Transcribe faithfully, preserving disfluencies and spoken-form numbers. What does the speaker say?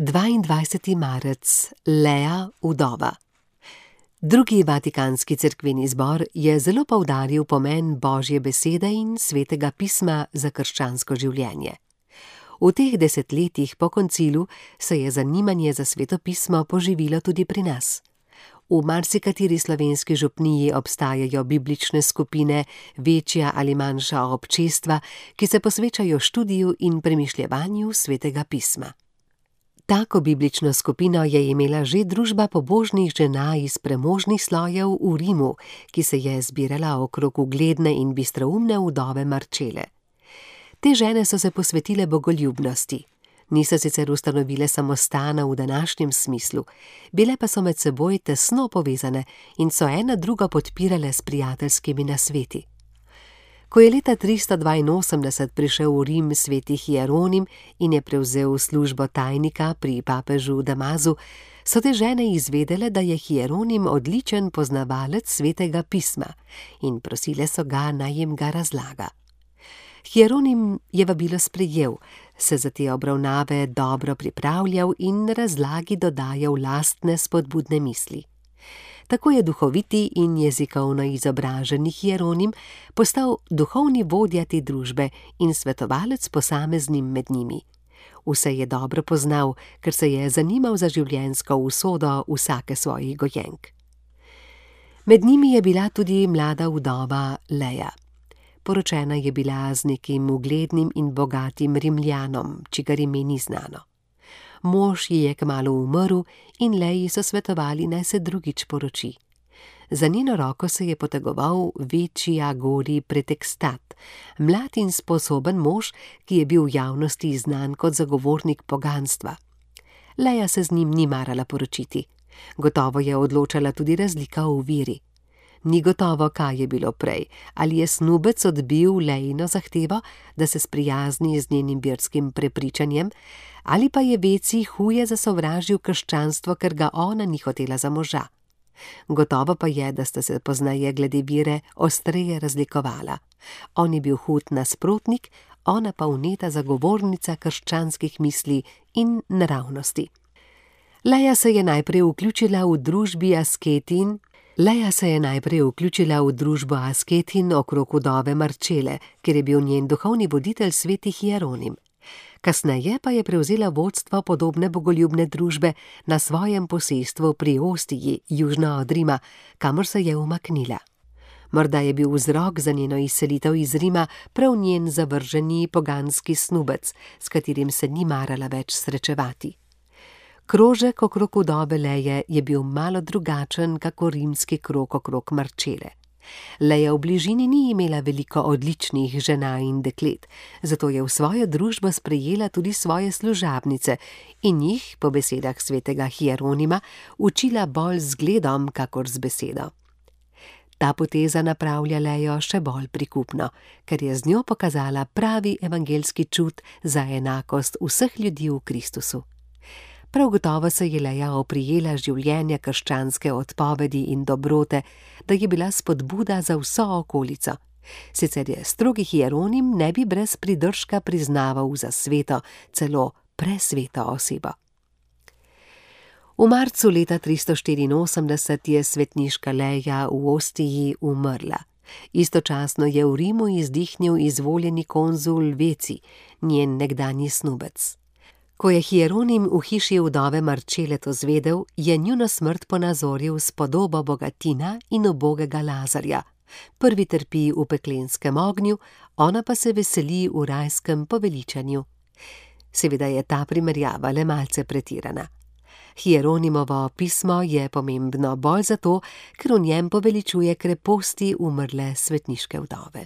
dvaindvajseti marec, Lea, vdova. Drugi vatikanski cerkveni zbor je zelo poudaril pomen Božje besede in svetega pisma za krščansko življenje. V teh desetletjih po koncilu se je zanimanje za sveto pismo poživilo tudi pri nas. V marsikateri slovenski župniji obstajajo biblične skupine, večja ali manjša občestva, ki se posvečajo študiju in premišljevanju svetega pisma. Tako biblično skupino je imela že družba pobožnih žena iz premožnih slojev v Rimu, ki se je zbirala okrog ugledne in bistroumne vdove Marčele. Te žene so se posvetile bogoljubnosti. Niso sicer ustanovile samostana v današnjem smislu, bile pa so med seboj tesno povezane in so ena drugo podpirale s prijateljskimi nasveti. Ko je leta tristo dvainosemdeset prišel v Rim sveti Hieronim in je prevzel službo tajnika pri papežu Damazu, so te žene izvedele, da je Hieronim odličen poznavalec svetega pisma in prosile so ga, naj jim ga razlaga. Hieronim je vabilo sprejel, se za te obravnave dobro pripravljal in razlagi dodajal lastne spodbudne misli. Tako je duhoviti in jezikovno izobraženi Hieronim postal duhovni vodja te družbe in svetovalec posameznim med njimi. Vse je dobro poznal, ker se je zanimal za življenjsko usodo vsake svojih gojenk. Med njimi je bila tudi mlada vdova Lea. Poročena je bila z nekim uglednim in bogatim Rimljanom, čigar ime ni znano. Mož ji je kmalu umrl in Leji so svetovali, naj se drugič poroči. Za njeno roko se je potegoval večji Agori Pretekstat, mlad in sposoben mož, ki je bil v javnosti znan kot zagovornik poganstva. Leja se z njim ni marala poročiti. Gotovo je odločala tudi razlika v veri. Ni gotovo, kaj je bilo prej, ali je snubec odbil Lejino zahtevo, da se sprijazni z njenim verskim prepričanjem, ali pa je veci huje zasovražil krščanstvo, ker ga ona ni hotela za moža. Gotovo pa je, da sta se pozneje glede vere ostreje razlikovala. On je bil hud nasprotnik, ona pa vneta zagovornica krščanskih misli in naravnosti. Leja se je najprej vključila v družbi asketin, Leja se je najprej vključila v družbo asketin okrog vdove Marčele, kjer je bil njen duhovni voditelj sveti Hieronim. Kasneje pa je prevzela vodstvo podobne bogoljubne družbe na svojem posestvu pri Ostiji, južno od Rima, kamor se je umaknila. Morda je bil vzrok za njeno izselitev iz Rima prav njen zavrženi poganski snubec, s katerim se ni marala več srečevati. Krožek okrog vdove Leje je bil malo drugačen kakor rimski krog okrog Marčele. Leja v bližini ni imela veliko odličnih žena in deklet, zato je v svojo družbo sprejela tudi svoje služabnice in jih, po besedah svetega Hieronima, učila bolj z zgledom kakor z besedo. Ta poteza napravlja Lejo še bolj prikupno, ker je z njo pokazala pravi evangelski čut za enakost vseh ljudi v Kristusu. Prav gotovo se je Leja oprijela življenja krščanske odpovedi in dobrote, da je bila spodbuda za vso okolico. Sicer je strogi Hieronim ne bi brez pridržka priznaval za sveto, celo presveto osebo. V marcu leta tristo štiriinosemdeset je svetniška Leja v Ostiji umrla. Istočasno je v Rimu izdihnil izvoljeni konzul Veci, njen nekdanji snubec. Ko je Hieronim v hiši vdove Marčele to zvedel, je njuno smrt ponazoril s podobo bogatina in ubogega Lazarja. Prvi trpi v peklenskem ognju, ona pa se veseli v rajskem poveličanju. Seveda je ta primerjava le malce pretirana. Hieronimovo pismo je pomembno bolj zato, ker v njem poveličuje kreposti umrle svetniške vdove.